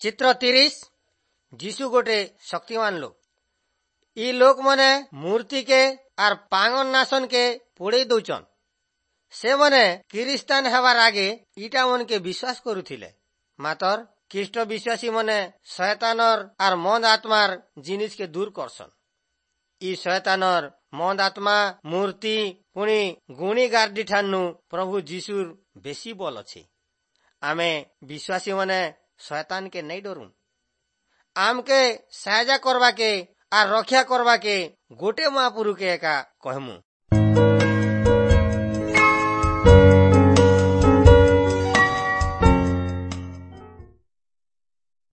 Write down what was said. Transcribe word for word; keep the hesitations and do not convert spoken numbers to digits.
ଚିତ୍ର ତିରିଶ ଯୀଶୁ ଗୋଟେ ଶକ୍ତିମାନ ଲୋକ ଇ ଲୋକମାନେ ମୂର୍ତ୍ତିକେ ଆର୍ ପାଙ୍ଗନ ନାସନକେ ପୋଡ଼େଇ ଦଉଛନ୍ ସେମାନେ କିରିସ୍ତାନ ହେବାର ଆଗେ ଇଟା ମନକେ ବିଶ୍ୱାସ କରୁଥିଲେ ମାତର ଖ୍ରୀଷ୍ଟ ବିଶ୍ୱାସୀ ମାନେ ଶୟତାନର ଆର୍ ମନ୍ଦ ଆତ୍ମାର ଜିନିଷକେ ଦୂର କରସନ୍ ଇ ଶୟତାନର ମନ୍ଦ ଆତ୍ମା ମୂର୍ତ୍ତି ପୁଣି ଗୁଣି ଗାର୍ଡି ଠାନୁ ପ୍ରଭୁ ଯୀଶୁର ବେଶୀ ବଲ ଅଛି ଆମେ ବିଶ୍ୱାସୀ ମାନେ ଶୟତାନକେ ନାଇଁ ଡରୁ ଆମକେ ସାହାଯ୍ୟ କରବାକେ ଆର୍ ରକ୍ଷା କରବାକେ ଗୋଟେ ମହାପୁରୁକେ ଏକା କହମୁ